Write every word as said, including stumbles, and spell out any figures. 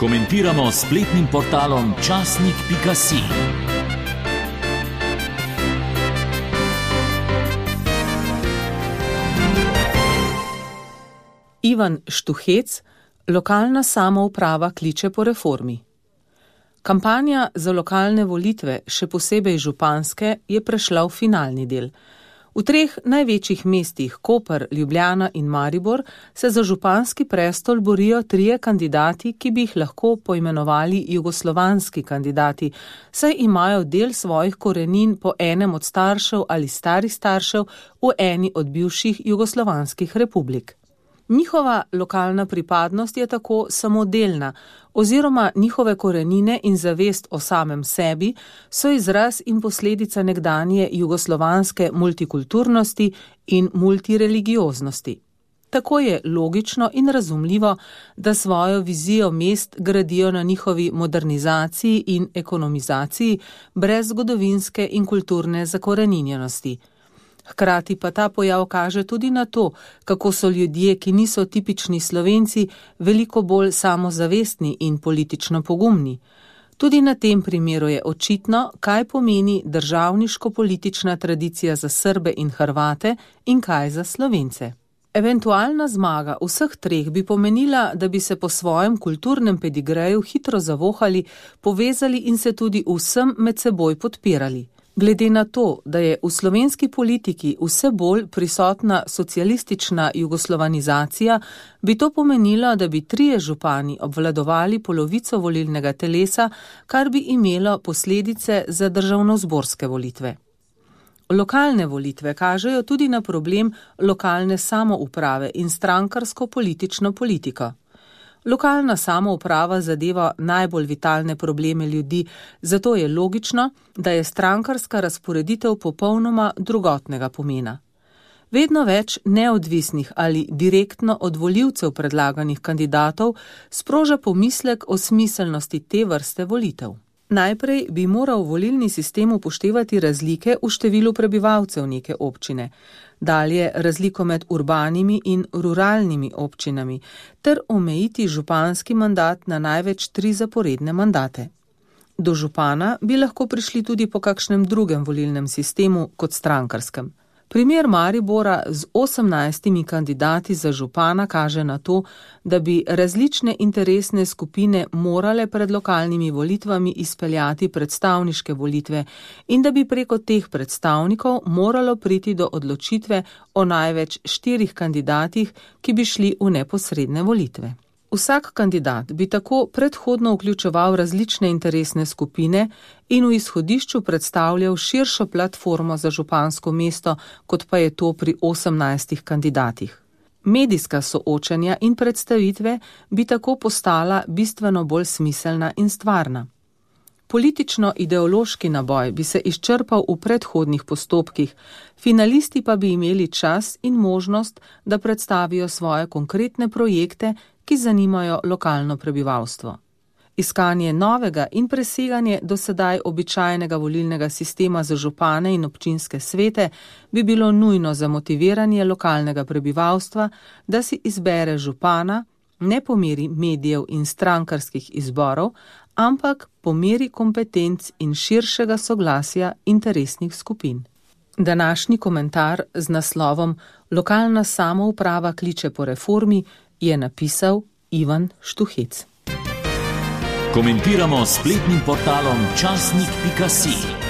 Komentiramo s spletnim portalom časnik pika si. Ivan Štuhec, lokalna samouprava kliče po reformi. Kampanja za lokalne volitve, še posebej županske, je prešla v finalni del. V treh največjih mestih Koper, Ljubljana in Maribor se za županski prestol borijo trije kandidati, ki bi jih lahko poimenovali jugoslovanski kandidati, saj imajo del svojih korenin po enem od staršev ali starih staršev v eni od bivših jugoslovanskih republik. Njihova lokalna pripadnost je tako samodelna, oziroma njihove korenine in zavest o samem sebi so izraz in posledica nekdanje jugoslovanske multikulturnosti in multireligioznosti. Tako je logično in razumljivo, da svojo vizijo mest gradijo na njihovi modernizaciji in ekonomizaciji brez zgodovinske in kulturne zakoreninjenosti. Hkrati pa ta pojav kaže tudi na to, kako so ljudje, ki niso tipični Slovenci, veliko bolj samozavestni in politično pogumni. Tudi na tem primeru je očitno, kaj pomeni državniško-politična tradicija za Srbe in Hrvate in kaj za Slovence. Eventualna zmaga vseh treh bi pomenila, da bi se po svojem kulturnem pedigreju hitro zavohali, povezali in se tudi vsem med seboj podpirali. Glede na to, da je v slovenski politiki vse bolj prisotna socialistična jugoslovanizacija, bi to pomenilo, da bi trije župani obvladovali polovico volilnega telesa, kar bi imelo posledice za državnozborske volitve. Lokalne volitve kažejo tudi na problem lokalne samouprave in strankarsko politično politiko. Lokalna samouprava zadeva najbolj vitalne probleme ljudi, zato je logično, da je strankarska razporeditev popolnoma drugotnega pomena. Vedno več neodvisnih ali direktno od volivcev predlaganih kandidatov sproža pomislek o smiselnosti te vrste volitev. Najprej bi moral volilni sistem upoštevati razlike v številu prebivalcev neke občine, dalje razliko med urbanimi in ruralnimi občinami, ter omejiti županski mandat na največ tri zaporedne mandate. Do župana bi lahko prišli tudi po kakšnem drugem volilnem sistemu kot strankarskem. Primer Maribora z osemnajstimi kandidati za župana kaže na to, da bi različne interesne skupine morale pred lokalnimi volitvami izpeljati predstavniške volitve in da bi preko teh predstavnikov moralo priti do odločitve o največ štirih kandidatih, ki bi šli v neposredne volitve. Vsak kandidat bi tako predhodno vključeval različne interesne skupine in v izhodišču predstavljal širšo platformo za župansko mesto, kot pa je to pri osemnajstih kandidatih. Medijska soočanja in predstavitve bi tako postala bistveno bolj smiselna in stvarna. Politično-ideološki naboj bi se izčrpal v predhodnih postopkih, finalisti pa bi imeli čas in možnost, da predstavijo svoje konkretne projekte, ki zanimajo lokalno prebivalstvo. Iskanje novega in preseganje do sedaj običajnega volilnega sistema za župane in občinske svete bi bilo nujno za motiviranje lokalnega prebivalstva, da si izbere župana ne po meri medijev in strankarskih izborov, ampak po meri kompetenc in širšega soglasja interesnih skupin. Današnji komentar z naslovom Lokalna samouprava kliče po reformi je napisal Ivan Štuhec. Komentiramo s spletnim portalom časnik pika si.